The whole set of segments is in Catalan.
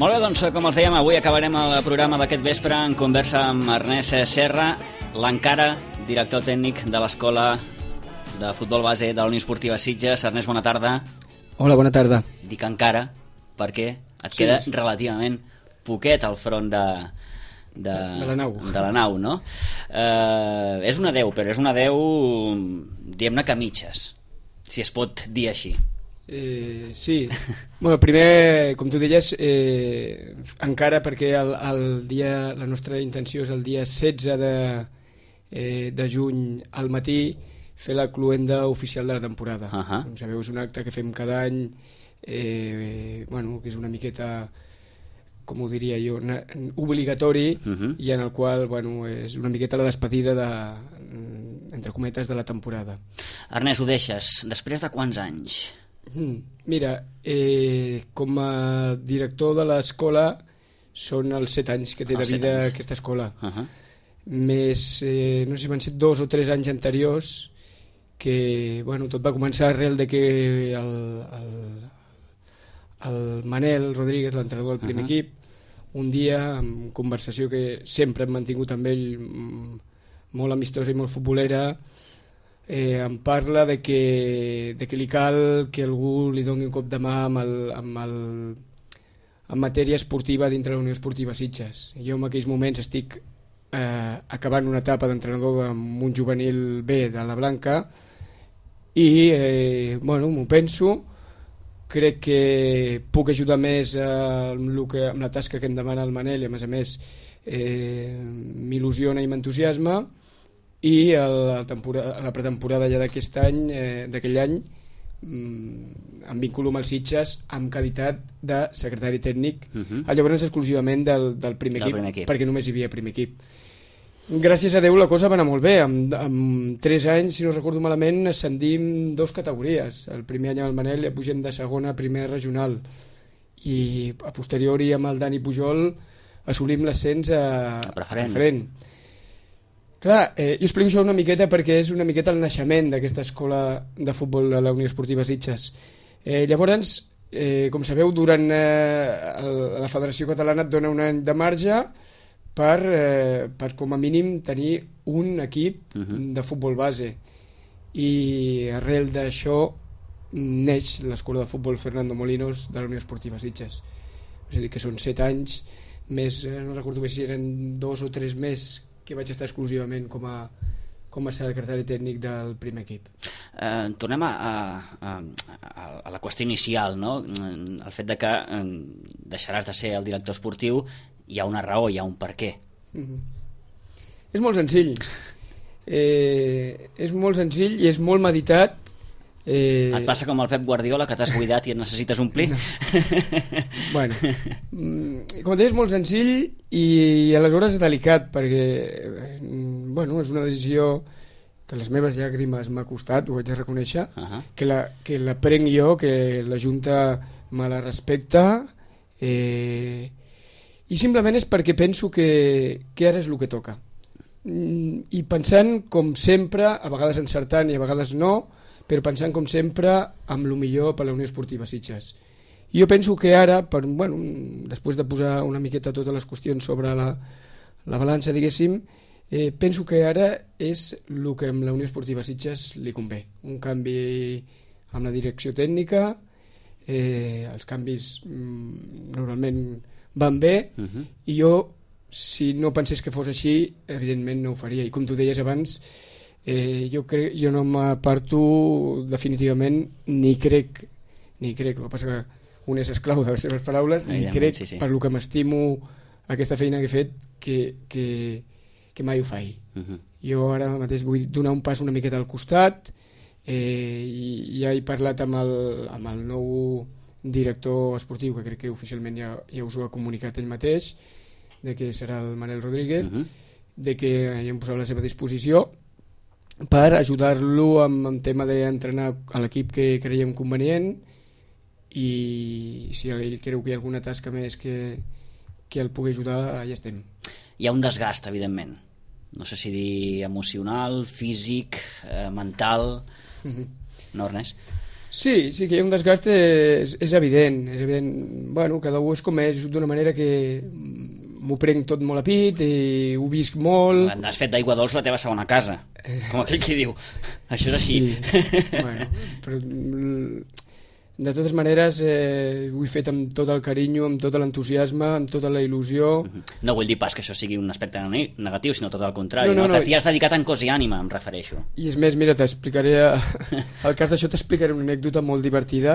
Molt bé, doncs, com els dèiem, avui acabarem el programa d'aquest vespre en conversa amb Ernest Serra, l'encara director tècnic de l'Escola de Futbol Base de la Unió Esportiva Sitges. Ernest, bona tarda. Hola, bona tarda. Dic encara perquè et queda relativament poquet al front de la nau, no? És una 10, però és una 10, diguem-ne que mitges, si es pot dir així. Sí. Bueno, primer, com tu deies, encara perquè la nostra intenció és el dia 16 de juny al matí fer la cloenda oficial de la temporada. Com sabeu, és un acte que fem cada any, que és una miqueta, com ho diria jo, obligatori, i en el qual és una miqueta la despedida entre cometes de la temporada. Ernest, ho deixes després de quants anys? Mira, com a director de l'escola són els 7 anys que té de vida aquesta escola. Més, no sé si van ser 2 o 3 anys anteriors, que tot va començar arrel de que el Manel Rodríguez, l'entrenador del primer equip, un dia, en conversació que sempre hem mantingut amb ell, molt amistosa i molt futbolera, em parla de que li cal que algú li doni un cop de mà en matèria esportiva dintre la Unió Esportiva Sitges. Jo en aquells moments estic acabant una etapa d'entrenador amb un juvenil B de la Blanca i m'ho penso, crec que puc ajudar més amb la tasca que em demana el Manel i a més m'il·lusiona i m'entusiasma, i a la pretemporada ja d'aquest any, d'aquell any, em vinculo amb els Sitges amb qualitat de secretari tècnic, llavors exclusivament del primer equip, perquè només hi havia primer equip. Gràcies a Déu la cosa va anar molt bé, amb 3 anys, si no recordo malament, ascendim 2 categories. El primer any amb el Manel ja pugem de segona a primer regional, i a posteriori amb el Dani Pujol assolim l'ascens a preferent. Clar, jo explico això una miqueta perquè és una miqueta el naixement d'aquesta escola de futbol de la Unió Esportiva Sitges. Llavors, com sabeu, durant la Federació Catalana et dona un any de marge per com a mínim tenir un equip de futbol base, i arrel d'això neix l'Escola de Futbol Fernando Molinos de la Unió Esportiva Sitges. És a dir, que són 7 anys més, no recordo bé si eren 2 o 3 més que vaig estar exclusivament com a secretari tècnic del primer equip. Tornem a la qüestió inicial, no? El fet de que deixaràs de ser el director esportiu, hi ha una raó, hi ha un per què. És molt senzill. És molt senzill i és molt meditat. Et passa com el Pep Guardiola, que t'has buidat i et necessites omplir? Bueno, com et deia, és molt senzill i aleshores és delicat, perquè és una decisió que les meves llàgrimes m'ha costat, ho haig de reconèixer, que la prenc jo, que la Junta me la respecta, i simplement és perquè penso que ara és el que toca, i pensant com sempre, a vegades encertant i a vegades no, però pensant com sempre amb el millor per la Unió Esportiva Sitges. Jo penso que ara, després de posar una miqueta totes les qüestions sobre la balança, diguéssim, penso que ara és el que amb la Unió Esportiva Sitges li convé. Un canvi amb la direcció tècnica, els canvis normalment van bé, i jo, si no pensés que fos així, evidentment no ho faria. I com tu deies abans, jo no m'aparto definitivament, ni crec, el que passa que un és esclau de les seves paraules, ni crec, per lo que m'estimo aquesta feina que he fet, que mai ho faig. Jo ara mateix vull donar un pas una miqueta al costat, i ja he parlat amb el nou director esportiu, que crec que oficialment ja us ho ha comunicat ell mateix, de que serà el Manel Rodríguez, de que ja em posarà a la seva disposició per ajudar-lo amb tema d'entrenar a l'equip que creiem convenient, i si ell creu que hi ha alguna tasca més que el pugui ajudar, ja estem. Hi ha un desgast, evidentment, no sé si dir emocional, físic, mental, no, Ernest? Sí, sí que hi ha un desgast, és evident, és evident. Bueno, cada un és com és, d'una manera que m'ho prenc tot molt a pit i ho visc molt. Has fet d'Aigua Dols la teva segona casa, com aquell qui diu. Això és així. Sí, bueno, però de totes maneres ho he fet amb tot el carinyo, amb tot l'entusiasme, amb tota la il·lusió. No vull dir pas que això sigui un aspecte negatiu, sinó tot el contrari, no? Que t'hi has dedicat en cos i ànima, em refereixo. I és més, mira, t'explicaré al cas d'això t'explicaré una anècdota molt divertida,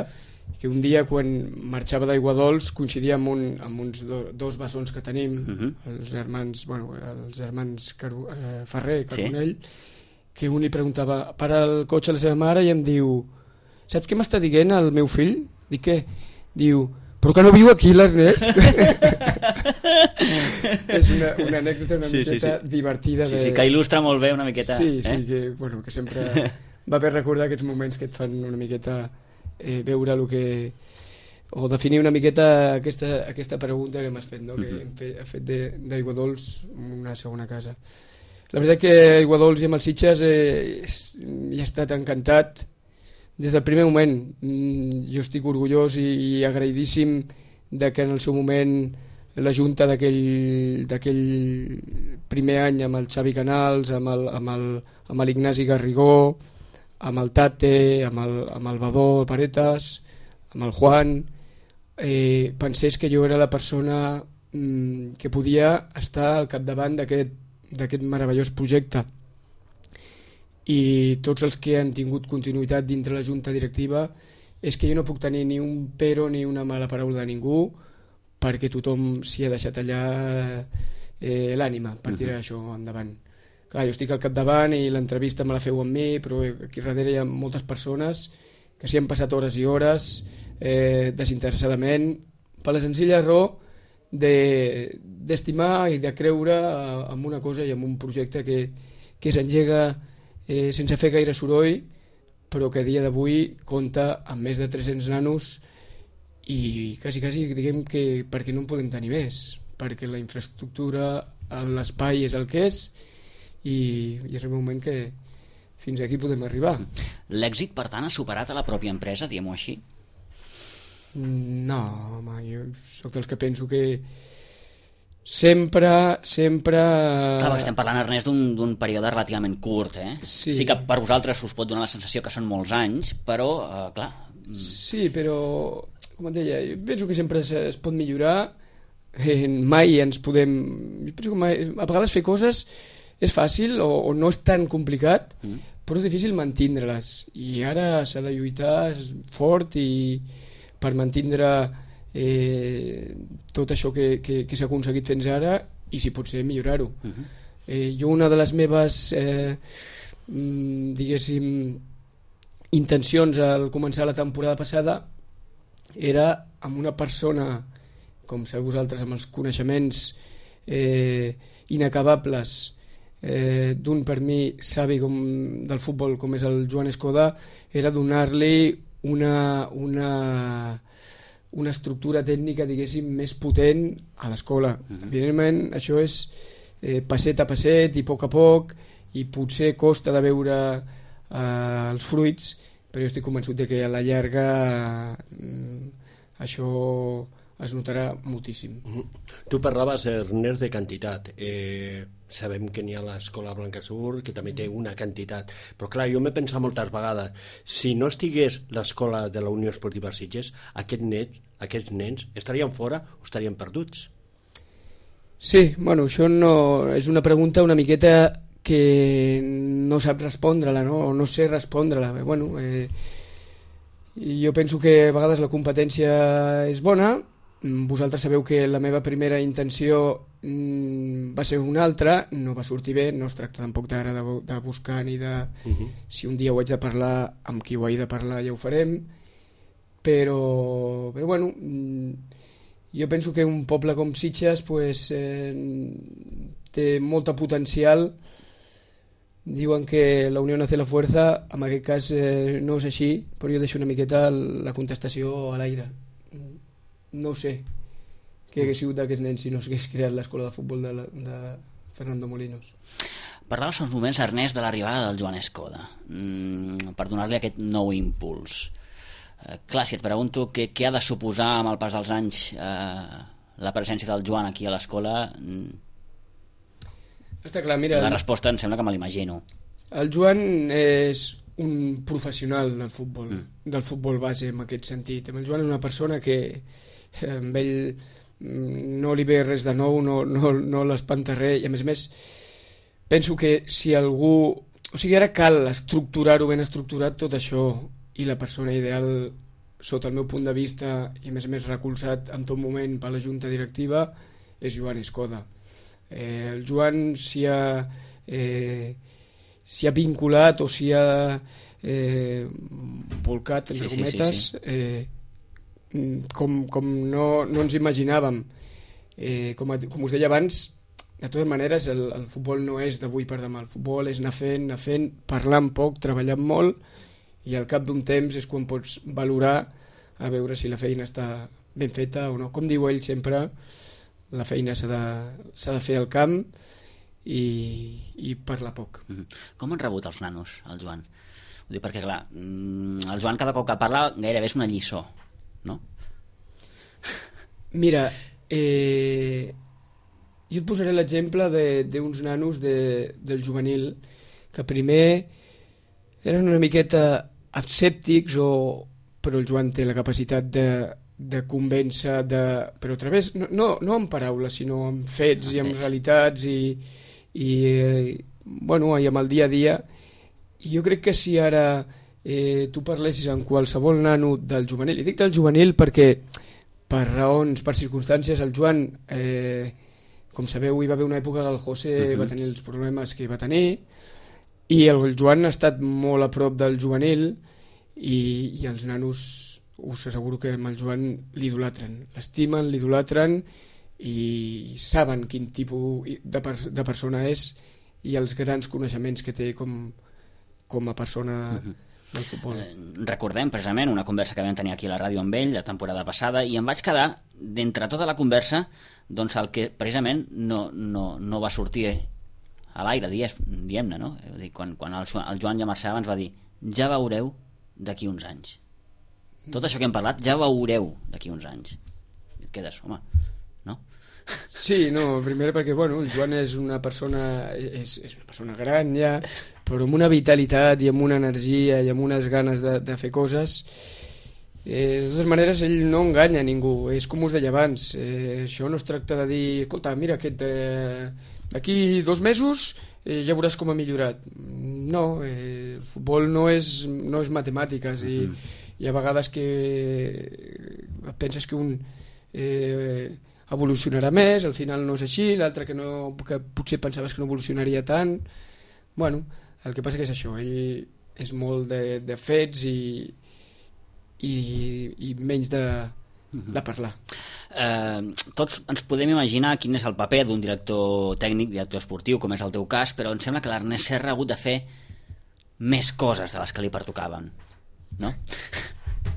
que un dia quan marxava d'Aigua Dols coincidia amb uns dos bessons que tenim, els germans Ferrer, Carbonell, que un li preguntava, para el cotxe a la seva mare i em diu: saps què m'està dient el meu fill? Dic què? Diu, però que no viu aquí l'Ernest? És una anècdota una miqueta divertida. Sí, que il·lustra molt bé una miqueta. Sí, que sempre va bé recordar aquests moments que et fan una miqueta veure el que... o definir una miqueta aquesta pregunta que m'has fet, no? Que he fet d'Aigua Dols una segona casa. La veritat que Aigua Dols i amb els Sitges hi he estat encantat des del primer moment. Jo estic orgullós i agraïdíssim de que en el seu moment la junta d'aquell primer any amb el Xavi Canals, amb l'Ignasi Garrigó, amb el Tate, amb el Badó Paretas, amb el Juan, pensés que jo era la persona que podia estar al capdavant d'aquest meravellós projecte. I tots els que han tingut continuïtat dintre la junta directiva és que jo no puc tenir ni un pero ni una mala paraula de ningú, perquè tothom s'hi ha deixat allà l'ànima per tirar això endavant. Clar, jo estic al capdavant i l'entrevista me la feu amb mi, però aquí darrere hi ha moltes persones que s'hi han passat hores i hores desinteressadament per la senzilla raó d'estimar i de creure en una cosa i en un projecte que s'engega sense fer gaire soroll, però que a dia d'avui compta amb més de 300 nanos i quasi diguem que perquè no en podem tenir més, perquè la infraestructura, l'espai és el que és i és el moment que fins aquí podem arribar. L'èxit, per tant, ha superat a la pròpia empresa, diguem-ho així? No, home, jo soc dels que penso que sempre... Clar, estem parlant, Ernest, d'un període relativament curt, eh? Sí que per vosaltres us pot donar la sensació que són molts anys, però, clar... Sí, però, com et deia, jo penso que sempre es pot millorar, mai ens podem... Jo penso que a vegades fer coses és fàcil o no és tan complicat, però és difícil mantindre-les, i ara s'ha de lluitar fort i per mantindre tot això que s'ha aconseguit fins ara i si pot ser millorar-ho. Jo una de les meves diguéssim intencions al començar la temporada passada era amb una persona com sabeu vosaltres amb els coneixements inacabables d'un per mi savi del futbol com és el Joan Escoda, era donar-li una estructura tècnica, diguéssim, més potent a l'escola. Evidentment, això és passet a passet i a poc, i potser costa de veure els fruits, però jo estic convençut de que a la llarga això es notarà moltíssim. Tu parlaves, Ernest, de quantitat. Sabem que n'hi ha l'escola Blancasur, que també té una quantitat, però clar, jo m'he pensat moltes vegades, si no estigués l'escola de la Unió Esportiva Sitges, aquests nens estarien fora o estarien perduts? Sí, bueno, això no és una pregunta una miqueta que no sap respondre-la, no? O no sé respondre-la. Bueno, jo penso que a vegades la competència és bona. Vosaltres sabeu que la meva primera intenció va ser una altra, no va sortir bé, no es tracta tampoc d'ara de buscar ni de... Si un dia ho haig de parlar amb qui ho haig de parlar ja ho farem, però bueno, jo penso que un poble com Sitges pues, té molta potencial. Diuen que la unió hace la fuerza, en aquest cas no és així, però jo deixo una miqueta la contestació a l'aire. No sé què hagués sigut d'aquests nens si no s'hagués creat l'escola de futbol de Fernando Molinos. Parlaves fa uns moments, Ernest, de l'arribada del Joan Escoda per donar-li aquest nou impuls. Clar, si et pregunto què ha de suposar amb el pas dels anys la presència del Joan aquí a l'escola, està clar, mira, la resposta em sembla que me l'imagino. El Joan és un professional del futbol base en aquest sentit. El Joan és una persona que amb ell no li ve res de nou, no l'espanta res, i a més penso que si algú... O sigui, ara cal estructurar-ho ben estructurat tot això, i la persona ideal, sota el meu punt de vista, i a més recolzat en tot moment per la junta directiva, és Joan Escoda. El Joan s'hi ha vinculat o s'hi ha volcat, entre cometes, com no ens imaginàvem. Com us deia abans, de totes maneres el futbol no és d'avui per demà, el futbol és anar fent, parlant poc, treballant molt, i al cap d'un temps és quan pots valorar a veure si la feina està ben feta o no. Com diu ell sempre, la feina s'ha de fer al camp i parlar poc. Com han rebut els nanos, el Joan? Ho dic perquè, clar, el Joan cada cop que parla gairebé és una lliçó, no? Mira, jo et posaré l'exemple d'uns nanos del juvenil que primer eren una miqueta escèptics, però el Joan té la capacitat de convèncer, però a través, no amb paraules, sinó amb fets i amb realitats i amb el dia a dia. I jo crec que si ara tu parlessis amb qualsevol nano del juvenil, i dic del juvenil perquè per raons, per circumstàncies, el Joan, com sabeu, hi va haver una època que el José va tenir els problemes que va tenir, i el Joan ha estat molt a prop del juvenil, i els nanos us asseguro que amb el Joan l'idolatren, l'estimen, l'idolatren, i saben quin tipus de persona és i els grans coneixements que té com a persona del futbol. Recordem precisament una conversa que vam tenir aquí a la ràdio amb ell la temporada passada, i em vaig quedar d'entre tota la conversa doncs el que precisament no va sortir a l'aire, diguem-ne, no? Quan el Joan ja marxava ens va dir: ja veureu d'aquí uns anys, tot això que hem parlat ja veureu d'aquí uns anys. I et quedes, home, no? Sí, no, primer perquè el Joan és una persona gran ja, però amb una vitalitat i amb una energia i amb unes ganes de fer coses. De totes maneres, ell no enganya ningú, és com us deia abans, això no es tracta de dir, escolta, mira, d'aquí 2 mesos ja veuràs com ha millorat. No, el futbol no és matemàtiques, i a vegades que penses que un evolucionarà més, al final no és així, l'altre que potser pensaves que no evolucionaria tant. El que passa que és això, ell és molt de fets i menys de parlar. Tots ens podem imaginar quin és el paper d'un director tècnic, director esportiu, com és el teu cas, però em sembla que l'Ernest Serra ha hagut de fer més coses de les que li pertocaven, no?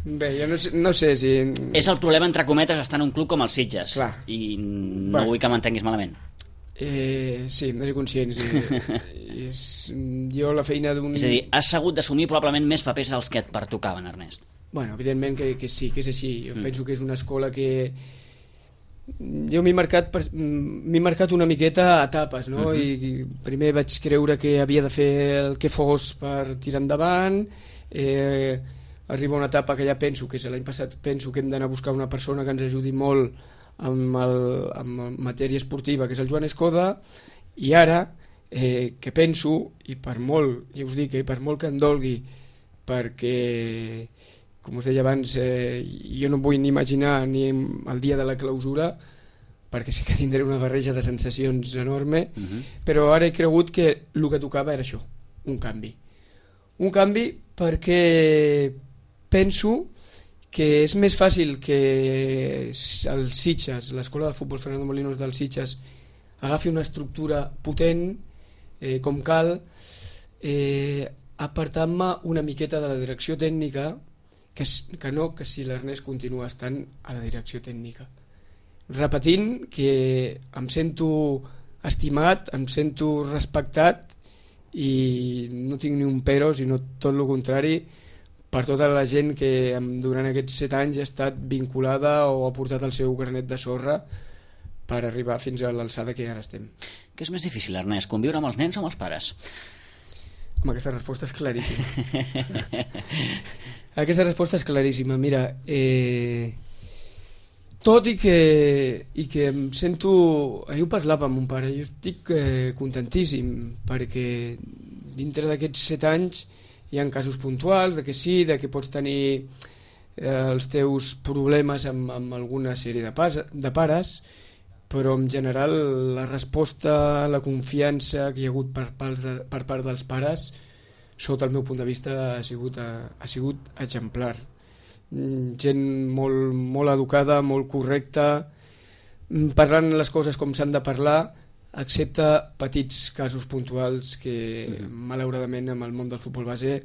Bé, jo no sé si... És el problema, entre cometes, estar en un club com el Sitges. Clar. I no vull que m'entenguis malament. Sí, hem de ser conscients. Jo la feina d'un... És a dir, has hagut d'assumir probablement més papers dels que et pertocaven, Ernest. Evidentment que sí, que és així. Jo penso que és una escola que... Jo m'he marcat una miqueta a etapes, no? I primer vaig creure que havia de fer el que fos per tirar endavant. Arriba una etapa que ja penso, que és l'any passat, penso que hem d'anar a buscar una persona que ens ajudi molt amb matèria esportiva, que és el Joan Escoda, i ara que penso, i per molt, ja us dic, per molt que em dolgui, perquè, com us deia abans, jo no em vull ni imaginar ni el dia de la clausura, perquè sí que tindré una barreja de sensacions enorme, però ara he cregut que el que tocava era això, un canvi. Un canvi perquè penso que és més fàcil que el Sitges, l'escola de futbol Fernando Molinos del Sitges, agafi una estructura potent, com cal, apartant-me una miqueta de la direcció tècnica, que si l'Ernest continua estant a la direcció tècnica. Repetint que em sento estimat, em sento respectat, i no tinc ni un però, sinó tot el contrari, per tota la gent que durant aquests 7 anys ha estat vinculada o ha portat el seu granet de sorra per arribar fins a l'alçada que ara estem. Què és més difícil, Ernest, conviure amb els nens o amb els pares? Aquesta resposta és claríssima. Aquesta resposta és claríssima. Mira, tot i que em sento... Ahir ho parlava amb mon pare, jo estic contentíssim, perquè dintre d'aquests 7 anys hi ha casos puntuals de que sí, de que pots tenir els teus problemes amb alguna sèrie de pares, però en general la resposta, la confiança que hi ha hagut per part dels pares, sota el meu punt de vista, ha sigut exemplar. Gent molt, molt educada, molt correcta, parlant les coses com s'han de parlar, excepte petits casos puntuals que malauradament amb el món del futbol base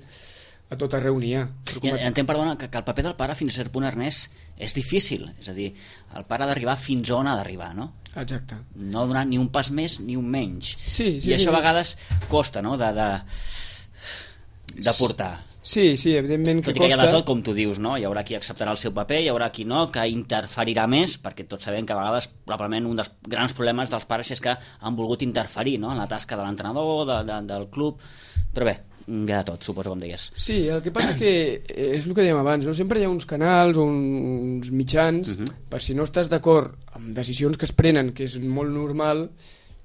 a tot arreu n'hi ha. Entenc, perdona, que el paper del pare fins a cert punt, Ernest, és difícil, és a dir, el pare ha d'arribar fins on ha d'arribar, no? Exacte. No donar ni un pas més ni un menys. Sí, i això a vegades costa, no?, de portar. Sí, evidentment que tot i que hi ha de tot, com tu dius, no? Hi haurà qui acceptarà el seu paper, hi haurà qui no, que interferirà més, perquè tots sabem que a vegades probablement un dels grans problemes dels pares és que han volgut interferir, no?, en la tasca de l'entrenador, del club, però bé, hi ha de tot, suposo, com deies. Sí, el que passa que és el que dèiem abans, no? Sempre hi ha uns canals o uns mitjans, per si no estàs d'acord amb decisions que es prenen, que és molt normal,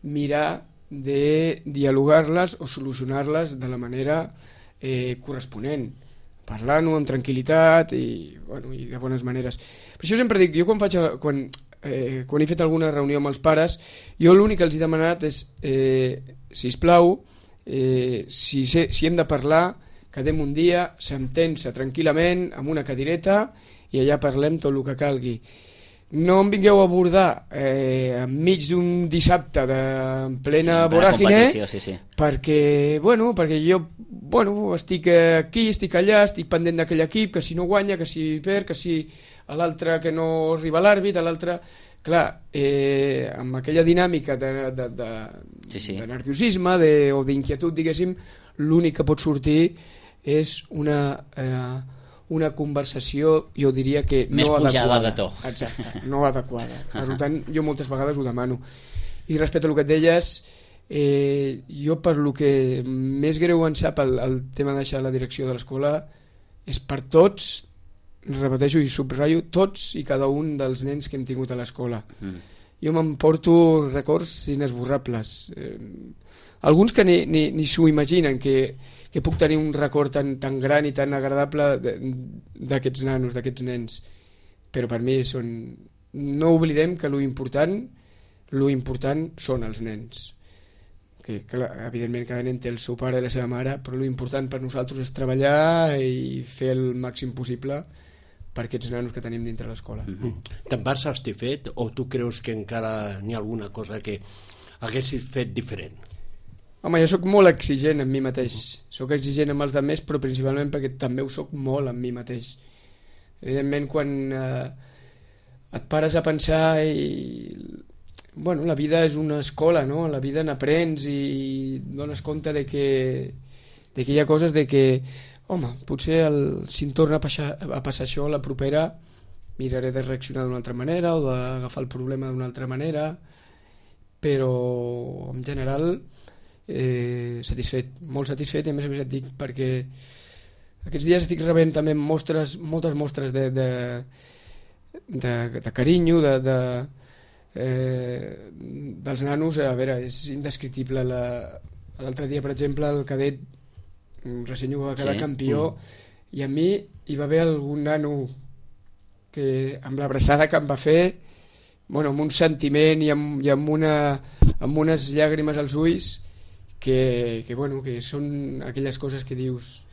mirar de dialogar-les o solucionar-les de la manera corresponent, parlant-ho amb tranquil·litat i de bones maneres. Per això sempre dic, jo quan he fet alguna reunió amb els pares, jo l'únic que els he demanat és sisplau, si hem de parlar, quedem un dia, s'entén-se tranquil·lament amb una cadireta i allà parlem tot el que calgui. No em vingueu a abordar enmig d'un dissabte de plena voràgine, sí. perquè jo estic aquí, estic allà, estic pendent d'aquell equip, que si no guanya, que si perd, que si l'altre que no arriba l'àrbit, l'altre... Clar, amb aquella dinàmica de nerviosisme o d'inquietud, diguéssim, l'únic que pot sortir és una conversació, jo diria que més no adequada. Més pujada de to. Exacte, no adequada. Per tant, jo moltes vegades ho demano. I respecte al que et deies, jo per lo que més greu em sap el tema de deixar la direcció de l'escola és per tots, repeteixo i subratllo, tots i cada un dels nens que hem tingut a l'escola. Jo m'emporto records inesborrables. Alguns que ni s'ho imaginen, que puc tenir un record tan gran i tan agradable d'aquests nanos, d'aquests nens. Però per mi no oblidem que lo important són els nens. Que clar, evidentment cada nen té el seu pare i la seva mare, però lo important per nosaltres és treballar i fer el màxim possible per aquests nanos que tenim dintre l'escola. Te'n vas satisfet o tu creus que encara n'hi ha alguna cosa que haguessis fet diferent? Home, jo sóc molt exigent amb mi mateix. Sóc exigent amb els altres, però principalment perquè també ho sóc molt amb mi mateix. Evidentment, quan et pares a pensar la vida és una escola, no? La vida n'aprens i dones compte de que hi ha coses de que home, potser si em torna a passar això la propera miraré de reaccionar d'una altra manera o d'agafar el problema d'una altra manera, però en general satisfet, molt satisfet, i a més et dic perquè aquests dies estic rebent també moltes mostres de carinyo dels nanos. A veure, és indescriptible. L'altre dia, per exemple, el cadet recent va quedar campió i a mi hi va haver algun nano que amb l'abraçada que em va fer, amb un sentiment i amb unes llàgrimes als ulls que són aquelles coses que dius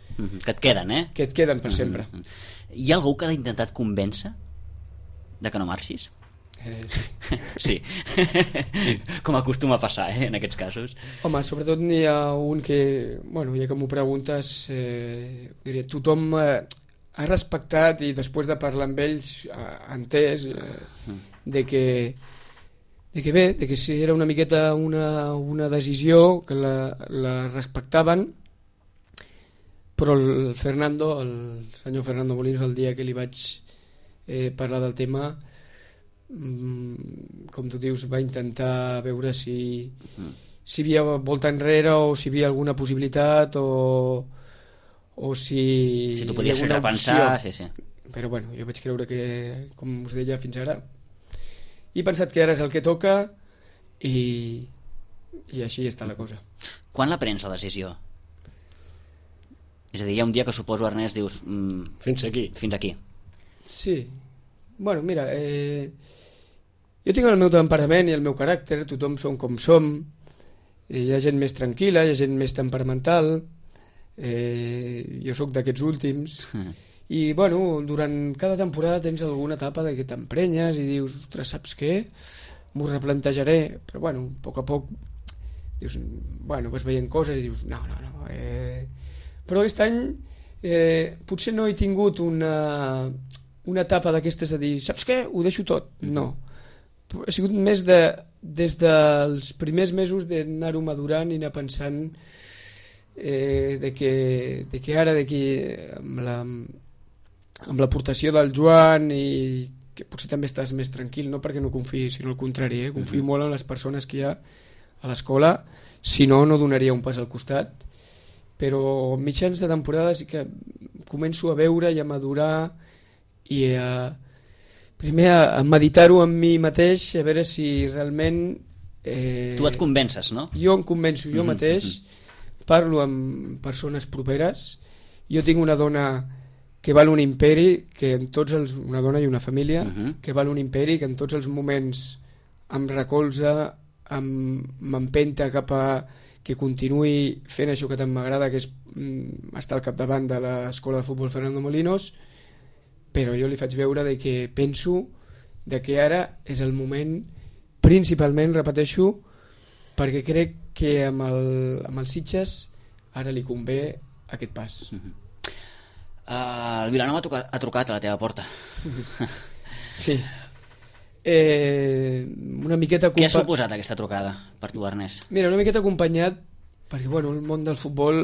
que et queden, que et queden per sempre. Hi ha algú que ha intentat convèncer de que no marxis? Sí. Com acostuma a passar, en aquests casos. Home, sobretot n'hi ha un que, ja que m'ho preguntes, diré, tothom ha respectat i després de parlar amb ells ha entès de que si era una miqueta una decisió que la respectaven, però el senyor Fernando Molinos, el dia que li vaig parlar del tema, com tu dius, va intentar veure si hi havia volta enrere o si hi havia alguna possibilitat o si tu podies fer repensar. Sí. Però bueno, jo vaig creure que, com us deia fins ara, he pensat que ara és el que toca i així està la cosa. Quan la prens la decisió? És a dir, hi ha un dia que suposo, Ernest, dius... Fins aquí. Sí. Bueno, mira, jo tinc el meu temperament i el meu caràcter, tothom som com som, hi ha gent més tranquil·la, hi ha gent més temperamental, jo sóc d'aquests últims, i bueno, durant cada temporada tens alguna etapa de que t'emprenyes i dius, ostres, saps què? M'ho replantejaré, però bueno, a poc a poc dius, bueno, vas veient coses i dius, no. Però aquest any potser no he tingut una etapa d'aquestes de dir, saps què? Ho deixo tot. No. Ha sigut més des dels primers mesos d'anar-ho madurant i anar pensant de que ara amb l'aportació del Joan i que potser també estàs més tranquil, no perquè no confiï, sinó al contrari, confio molt en les persones que hi ha a l'escola, si no donaria un pas al costat, però mitjans de temporada sí que començo a veure i a madurar i primer a meditar-ho en mi mateix, a veure si realment tu et convences, no? Jo em convenço jo mateix, parlo amb persones properes, jo tinc una dona que val un imperi, que en tots una dona i una família, que val un imperi, que en tots els moments em recolza, m'empenta cap a que continuï fent això que tant m'agrada, que és estar al capdavant de l'escola de futbol Fernando Molinos, però jo li faig veure de que penso de que ara és el moment, principalment, repeteixo, perquè crec que amb els Sitges ara li convé aquest pas. El Vilanova ha trucat a la teva porta. Sí. Una miqueta... Què ha suposat aquesta trucada per tu, Ernest? Mira, una miqueta acompanyat, perquè bueno, el món del futbol,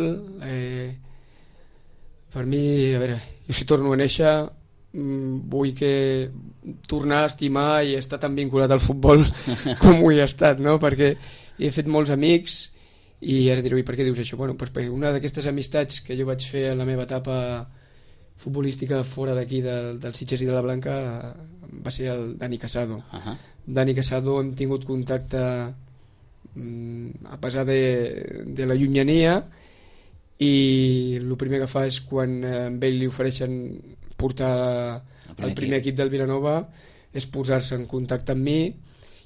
per mi, a veure, jo si torno a néixer, vull que tornar a estimar i estar tan vinculat al futbol com ho he estat, no? Perquè he fet molts amics i ara diré, per què dius això? Bueno, perquè una d'aquestes amistats que jo vaig fer en la meva etapa futbolística fora d'aquí del Sitges i de la Blanca va ser el Dani Casado. Dani Casado hem tingut contacte a pesar de la llunyania i el primer que fa és quan amb ell li ofereixen portar el primer equip del Vilanova és posar-se en contacte amb mi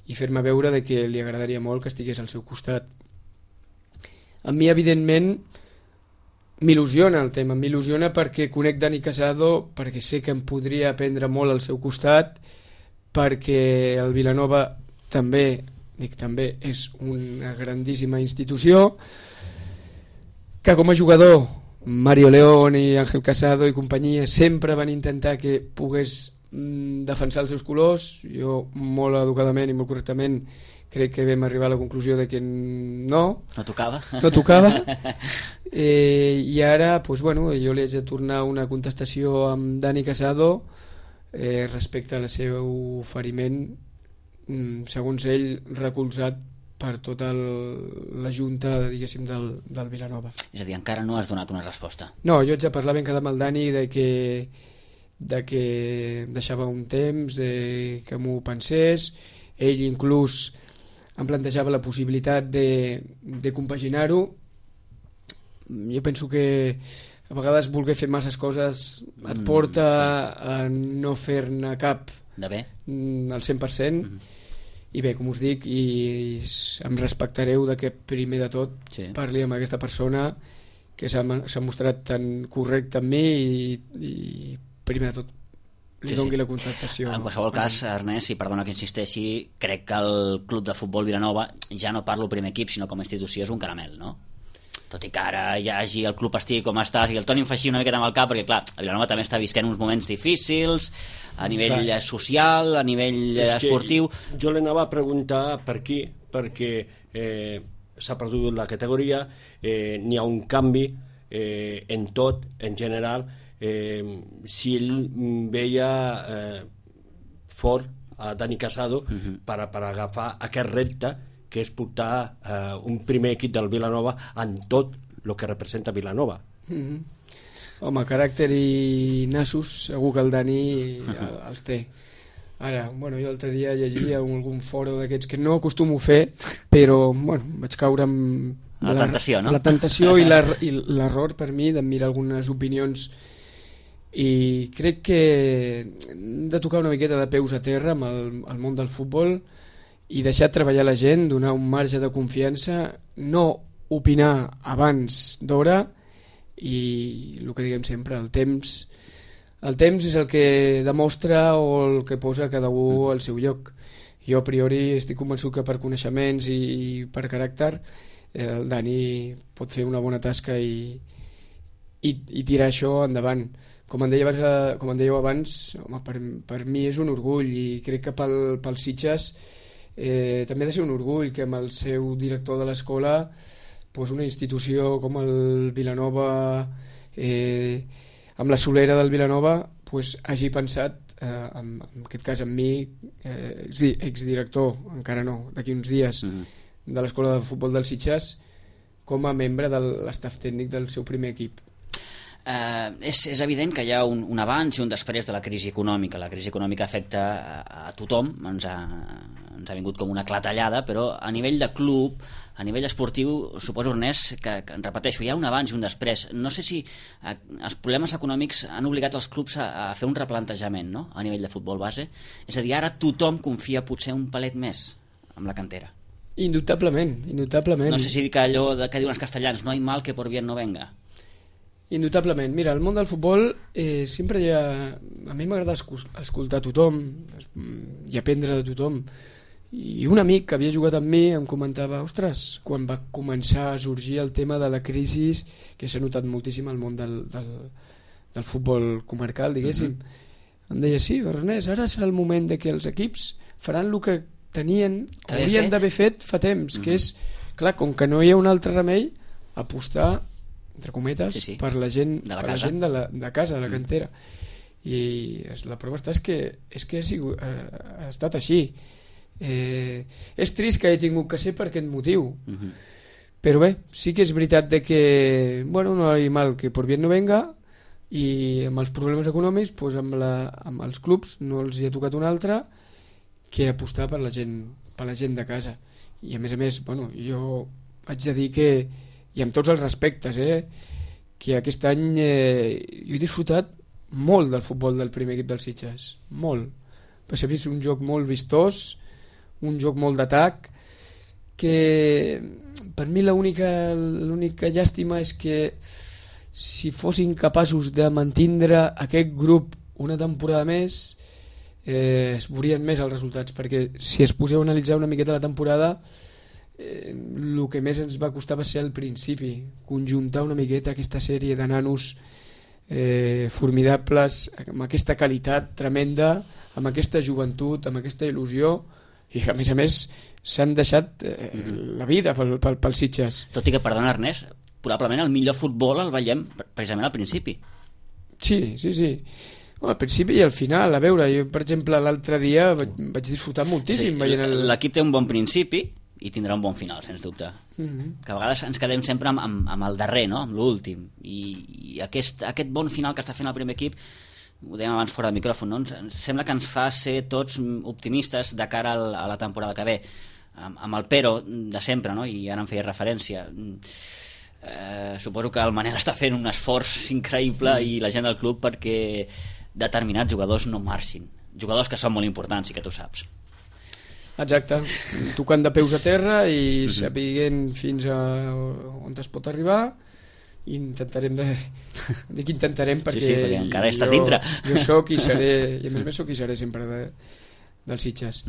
i fer-me veure de que li agradaria molt que estigués al seu costat. A mi, evidentment, m'il·lusiona el tema, m'il·lusiona perquè conec Dani Casado, perquè sé que em podria aprendre molt al seu costat, perquè el Vilanova també és una grandíssima institució, que com a jugador Mario León i Ángel Casado i companyia sempre van intentar que pogués defensar els seus colors. Jo molt educadament i molt correctament crec que vam arribar a la conclusió de que no tocava i ara pues, bueno, jo li haig de tornar una contestació amb Dani Casado respecte al seu oferiment, segons ell, recolzat per tota la junta, diguéssim, del Vilanova. És a dir, encara no has donat una resposta. No, jo haig de parlar ben quedat amb el Dani de que deixava un temps que m'ho pensés. Ell inclús em plantejava la possibilitat de compaginar-ho. Jo penso que a vegades voler fer masses coses et porta a no fer-ne cap de bé al 100%. I bé, com us dic, i em respectareu de que primer de tot parli amb aquesta persona que s'ha mostrat tan correcta amb mi i primer de tot li doni la contactació. En qualsevol cas, Ernest, i perdona que insisteixi, crec que el Club de Futbol Vilanova, ja no parlo primer equip sinó com a institució, és un caramel, no? Tot i que ara hi hagi el club estigui com està, i el Toni em fa així una miqueta amb el cap, perquè clar, el Vilanova també està visquent uns moments difícils a nivell social, a nivell esportiu. Jo l'anava a preguntar per aquí, perquè s'ha perdut la categoria, n'hi ha un canvi en tot, en general, si ell veia fort a Dani Casado per agafar aquest repte que és portar un primer equip del Vilanova en tot el que representa Vilanova. Home, caràcter i nassos segur que el Dani els té. Ara, bueno, jo l'altre dia llegia algun foro d'aquests que no acostumo a fer, però bueno, vaig caure amb la tentació, no? La tentació i l'error per mi d'admirar algunes opinions, i crec que hem de tocar una miqueta de peus a terra amb el món del futbol i deixar treballar la gent, donar un marge de confiança, no opinar abans d'hora, i el que diguem sempre, el temps és el que demostra o el que posa cada un al seu lloc. Jo a priori estic convençut que per coneixements i per caràcter el Dani pot fer una bona tasca i tirar això endavant. Com en dèieu abans, home, per mi és un orgull, i crec que pel Sitges també ha de ser un orgull que amb el seu director de l'escola, pues una institució com el Vilanova, amb la solera del Vilanova, pues hagi pensat, en aquest cas en mi, exdirector, encara no, d'aquí uns dies, de l'escola de futbol del Sitges, com a membre de l'estaf tècnic del seu primer equip. És evident que hi ha un abans i un després de la crisi econòmica. La crisi econòmica afecta a tothom, ens ha vingut com una clatellada, però a nivell de club, a nivell esportiu, suposo, Ernest, que repeteixo, hi ha un abans i un després. No sé si els problemes econòmics han obligat els clubs a fer un replantejament, no?, a nivell de futbol base. És a dir, ara tothom confia potser un palet més amb la cantera. Indubtablement. No sé si dic allò que diuen els castellans, no hay mal que por bien no venga. Indubtablement. Mira, el món del futbol sempre hi ha... A mi m'agrada escoltar tothom i aprendre de tothom. I un amic que havia jugat amb mi em comentava, ostres, quan va començar a sorgir el tema de la crisi, que s'ha notat moltíssim al món del futbol comarcal, diguéssim, em deia, sí, Ernest, ara serà el moment de que els equips faran el que haurien d'haver fet fa temps, que és, clar, com que no hi ha un altre remei, apostar, entre cometes, per la gent de casa, de la cantera. I la prova està és que ha estat així. És trist que he tingut que ser per aquest motiu, però bé, sí que és veritat de que, bueno, no hi ha mal que por bien no venga, i amb els problemes econòmics, doncs amb els clubs no els hi ha tocat un altre que apostar per la gent de casa. I a més, bueno, jo haig de dir que, i amb tots els respectes, que aquest any jo he disfrutat molt del futbol del primer equip dels Sitges, molt. S'ha vist un joc molt vistós, un joc molt d'atac, que per mi l'única llàstima és que si fossin capaços de mantindre aquest grup una temporada més, es veurien més els resultats, perquè si es poseu a analitzar una miqueta la temporada, el que més ens va costar va ser al principi, conjuntar una miqueta aquesta sèrie de nanos formidables, amb aquesta qualitat tremenda, amb aquesta joventut, amb aquesta il·lusió, i que a més s'han deixat la vida pel Sitges. Tot i que, perdona Ernest, probablement el millor futbol el veiem precisament al principi. Sí. Al principi i al final, a veure, jo per exemple l'altre dia vaig disfrutar moltíssim veient l'equip té un bon principi i tindrà un bon final, sens dubte. Que a vegades ens quedem sempre amb el darrer, no?, amb l'últim, i aquest bon final que està fent el primer equip, ho dèiem abans fora de micròfon, no?, ens sembla que ens fa ser tots optimistes de cara a la temporada que ve, amb el però de sempre, no?, i ara em feia referència. Suposo que el Manel està fent un esforç increïble i la gent del club perquè determinats jugadors no marxin, jugadors que són molt importants i que tu saps. Exacte, tocant de peus a terra i sapiguent fins a on es pot arribar, i intentarem perquè, perquè encara estàs dintre. Jo soc i seré, i a més soc i seré sempre dels Sitges.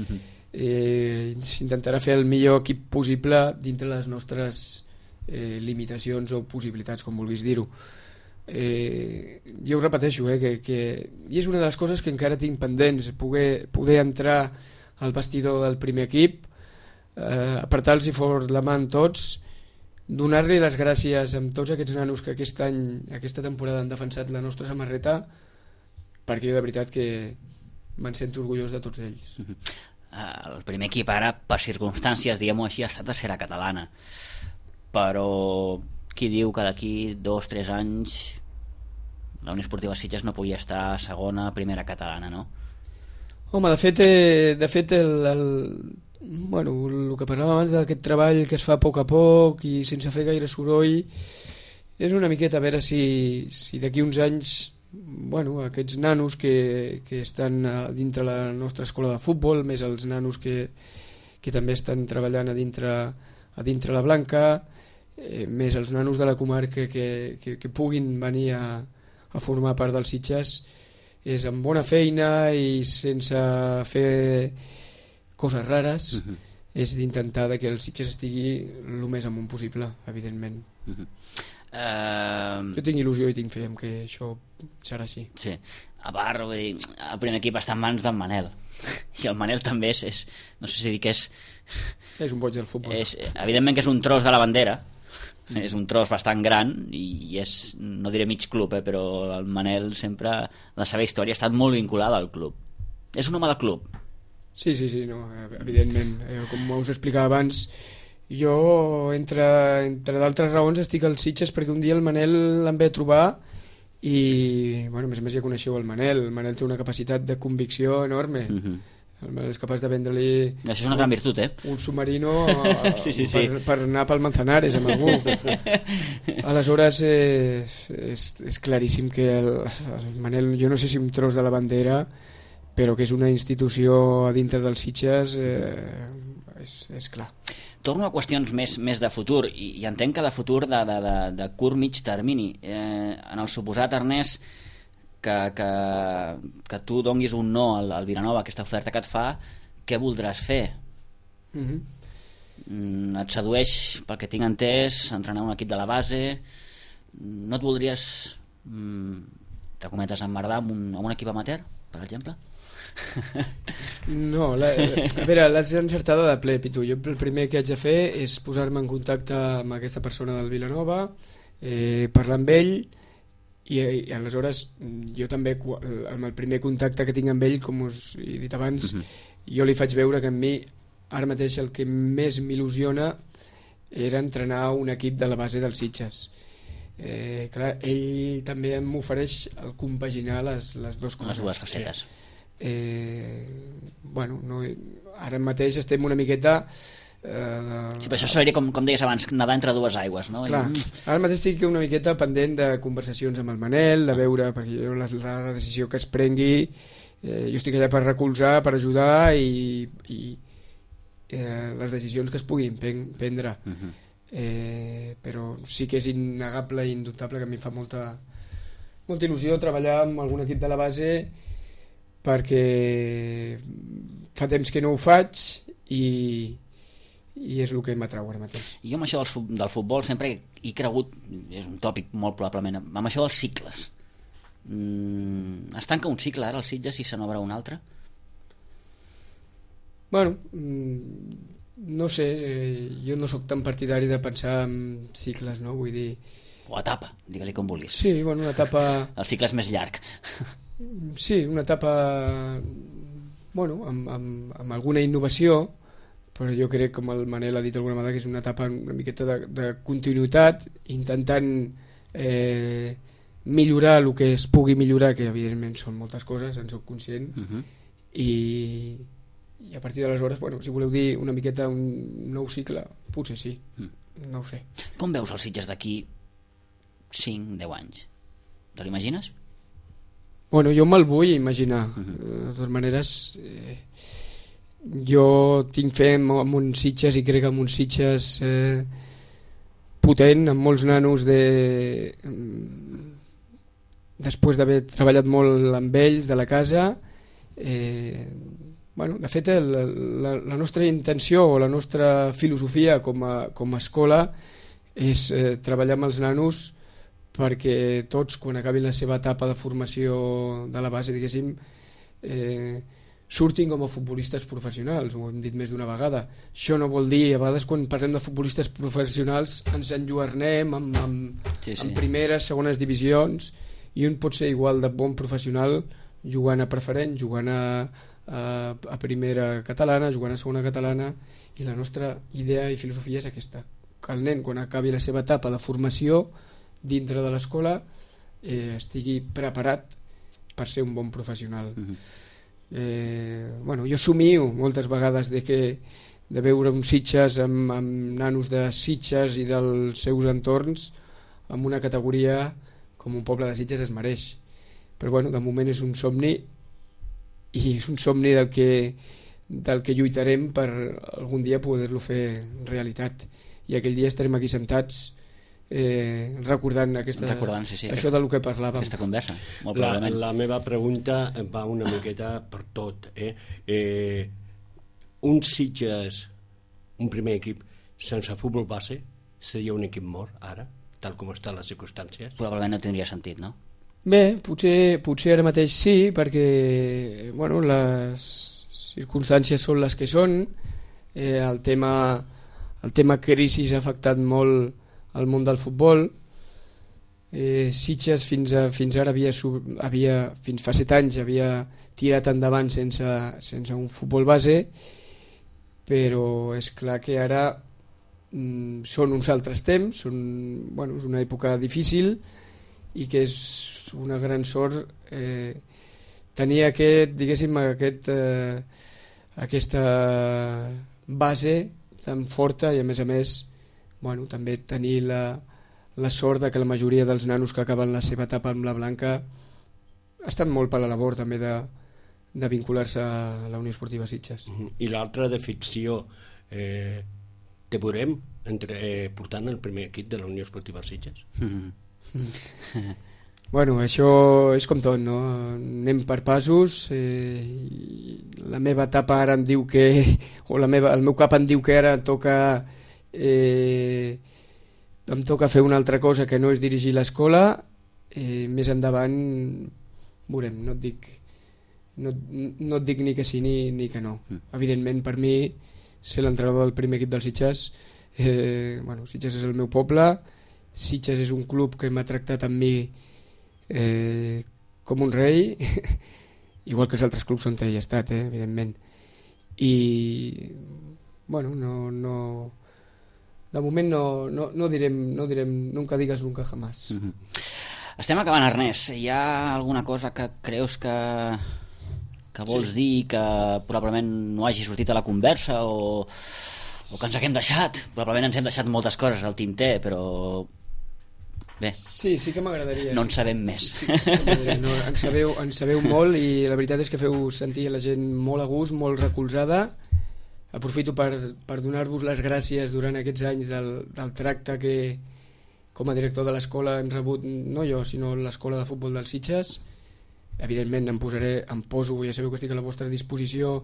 S'intentarà fer el millor equip possible dintre les nostres limitacions o possibilitats, com vulguis dir-ho. Jo ho repeteixo, que i és una de les coses que encara tinc pendents, poder entrar al vestidor del primer equip, apretar-los fort la mà amb tots, donar-li les gràcies a tots aquests nanos que aquesta temporada han defensat la nostra samarreta, perquè jo de veritat que me'n sento orgullós de tots ells. El primer equip ara, per circumstàncies, diguem-ho així, ha estat tercera catalana, però qui diu que d'aquí 2-3 anys la Unió Esportiva Sitges no pugui estar a segona, primera catalana, no? Home, de fet bueno, el que parlàvem abans d'aquest treball que es fa a poc i sense fer gaire soroll, és una miqueta a veure si d'aquí uns anys, bueno, aquests nanos que estan dintre la nostra escola de futbol, més els nanos que també estan treballant a dintre la Blanca, més els nanos de la comarca que puguin venir a formar part dels Sitges, és amb bona feina i sense fer coses rares, és d'intentar que el Sitges estigui el més amunt possible, evidentment. Jo tinc il·lusió i tinc fe en que això serà així. Sí, a part, vull dir, el primer equip està en mans d'en Manel, i el Manel també és no sé si dir que és un boig del futbol. Evidentment que és un tros de la bandera, és un tros bastant gran i és, no diré mig club, però el Manel sempre, la seva història ha estat molt vinculada al club. És un home de club. Sí, no, evidentment. Com us explicava abans, jo, entre d'altres raons, estic als Sitges perquè un dia el Manel em ve a trobar i, bueno, a més ja coneixeu el Manel té una capacitat de convicció enorme. El Manel és capaç de vendre-li... Això és una gran virtut, un submarino sí. Per anar pel Manzanares amb algú. Aleshores és claríssim que el Manel, jo no sé si un tros de la bandera, però que és una institució a dintre dels Sitges, és clar. Torno a qüestions més de futur, i entenc que de futur de curt mig termini. En el suposat, Ernest, que tu donguis un no al Vilanova, aquesta oferta que et fa, què voldràs fer? Et sedueix, pel que tinc entès, entrenar un equip de la base? No et voldries, entre cometes, emmerdar amb un equip amateur, per exemple? No, a veure, l'haig encertada de ple, Pitu. Jo el primer que haig de fer és posar-me en contacte amb aquesta persona del Vilanova, parlar amb ell, i aleshores jo també, amb el primer contacte que tinc amb ell, com us he dit abans, jo li faig veure que a mi ara mateix el que més m'il·lusiona era entrenar un equip de la base dels Sitges. Clar, ell també m'ofereix el compaginar les dues coses. Les dues facetes. Bueno, no, ara mateix estem una miqueta... Sí, però això seria, com deies abans, nedar entre dues aigües, no? Clar, ara mateix estic una miqueta pendent de conversacions amb el Manel, de veure, perquè jo la decisió que es prengui, jo estic allà per recolzar, per ajudar i les decisions que es puguin prendre. Però sí que és innegable i indubtable que a mi em fa molta il·lusió treballar amb algun equip de la base, perquè fa temps que no ho faig i és el que m'atrau ara mateix. Jo amb això del futbol sempre he cregut, és un tòpic molt probablement, amb això dels cicles. Es tanca un cicle ara als Sitges i se n'obre un altre? Bueno, no sé, jo no sóc tan partidari de pensar en cicles, no? Vull dir... O etapa, digue-li com vulguis. Sí, bueno, una etapa... El cicle és més llarg. Sí, una etapa, bueno, amb alguna innovació, però jo crec, com el Manel ha dit alguna vegada, que és una etapa una miqueta de continuïtat, intentant millorar el que es pugui millorar, que evidentment són moltes coses, en soc conscient, i a partir d'aleshores, bueno, si voleu dir una miqueta un nou cicle, potser sí, no ho sé. Com veus els Sitges d'aquí 5-10 anys? Te l'imagines? Bueno, jo me'l vull imaginar. De totes maneres, jo tinc fe en un Sitges i crec en un Sitges potent, amb molts nanos després d'haver treballat molt amb ells de la casa. Bueno, de fet, la nostra intenció o la nostra filosofia com a escola és treballar amb els nanos perquè tots, quan acabin la seva etapa de formació de la base, diguéssim, surtin com a futbolistes professionals, ho hem dit més d'una vegada. Això no vol dir, a vegades quan parlem de futbolistes professionals ens enlluernem en primeres, segones divisions, i un pot ser igual de bon professional jugant a preferent, jugant a primera catalana, jugant a segona catalana, i la nostra idea i filosofia és aquesta, que el nen quan acabi la seva etapa de formació dintre de l'escola estigui preparat per ser un bon professional. Jo somio moltes vegades de veure uns Sitges amb nanos de Sitges i dels seus entorns amb una categoria com un poble de Sitges es mereix, però de moment és un somni, i és un somni del que lluitarem per algun dia poder-lo fer realitat, i aquell dia estarem aquí sentats recordant això del que parlàvem, aquesta conversa. La meva pregunta va una miqueta per tot, un Sitges, un primer equip sense futbol base seria un equip mort ara, tal com estan les circumstàncies? Probablement no tindria sentit, no? Bé, potser ara mateix sí, perquè les circumstàncies són les que són. El tema crisi ha afectat molt al món del futbol. Sitges fins ara fins fa 7 anys havia tirat endavant sense un futbol base, però és clar que ara són uns altres temps, és una època difícil, i que és una gran sort tenir aquesta base tan forta, i a més també tenir la sort de que la majoria dels nanos que acaben la seva etapa amb la Blanca estan molt per la labor també de vincular-se a la Unió Esportiva Sitges. I l'altra de ficció, te veurem portant el primer equip de la Unió Esportiva Sitges? Això és com tot, no? Anem per passos. La meva etapa ara em diu que, el meu cap em diu que ara em toca fer una altra cosa que no és dirigir l'escola. Més endavant veurem, no et dic ni que sí ni que no. Evidentment, per mi ser l'entrenador del primer equip dels Sitges, Sitges és el meu poble, Sitges és un club que m'ha tractat amb mi com un rei, igual que els altres clubs on he estat, evidentment. I de moment no direm nunca digas nunca jamás. Estem acabant, Ernest. Hi ha alguna cosa que creus que vols dir que probablement no hagi sortit a la conversa, o que ens haguem deixat? Probablement ens hem deixat moltes coses al tinter, però bé, sí que m'agradaria. No en sabem més. En sabeu molt, i la veritat és que feu sentir la gent molt a gust, molt recolzada. Aprofito per donar-vos les gràcies durant aquests anys del tracte que com a director de l'escola hem rebut, no jo, sinó l'escola de futbol dels Sitges. Evidentment em poso, ja sabeu que estic a la vostra disposició,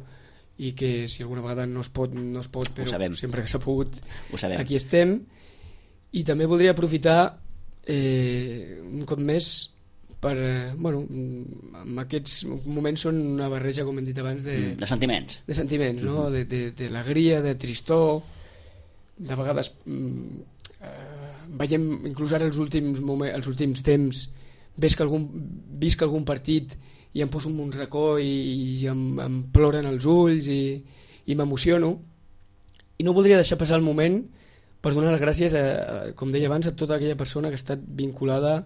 i que si alguna vegada no es pot, però sempre que s'ha pogut aquí estem. I també voldria aprofitar un cop més per, en aquests moments són una barreja, com hem dit abans, de sentiments, no? De alegria, de tristor. De vegades veiem, inclús ara els últims temps, visc algun partit i em poso en un racó i em ploren els ulls i m'emociono, i no voldria deixar passar el moment per donar les gràcies, com deia abans, a tota aquella persona que ha estat vinculada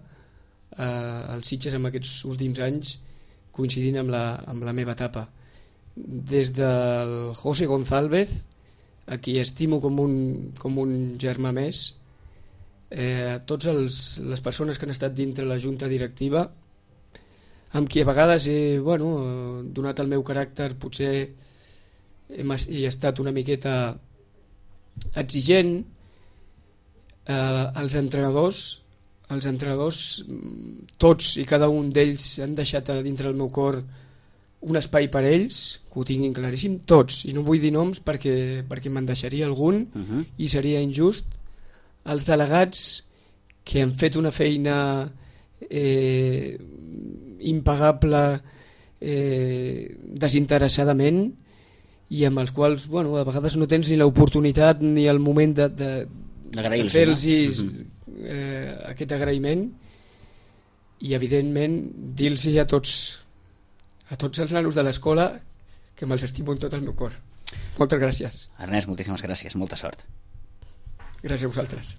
als Sitges en aquests últims anys, coincidint amb la meva etapa, des del José González, a qui estimo com un germà més, a totes les persones que han estat dintre la junta directiva, amb qui a vegades he donat el meu caràcter, potser he estat una miqueta exigent. Els entrenadors, tots i cada un d'ells han deixat dintre el meu cor un espai per ells, que ho tinguin claríssim, tots, i no vull dir noms perquè me'n deixaria algun i seria injust. Els delegats, que han fet una feina impagable desinteressadament i amb els quals a vegades no tens ni l'oportunitat ni el moment de fer-los aquest agraïment, i evidentment dir-los a tots els nanos de l'escola que me'ls estimo amb tot el meu cor. Moltes gràcies. Ernest, moltíssimes gràcies, molta sort. Gràcies a vosaltres.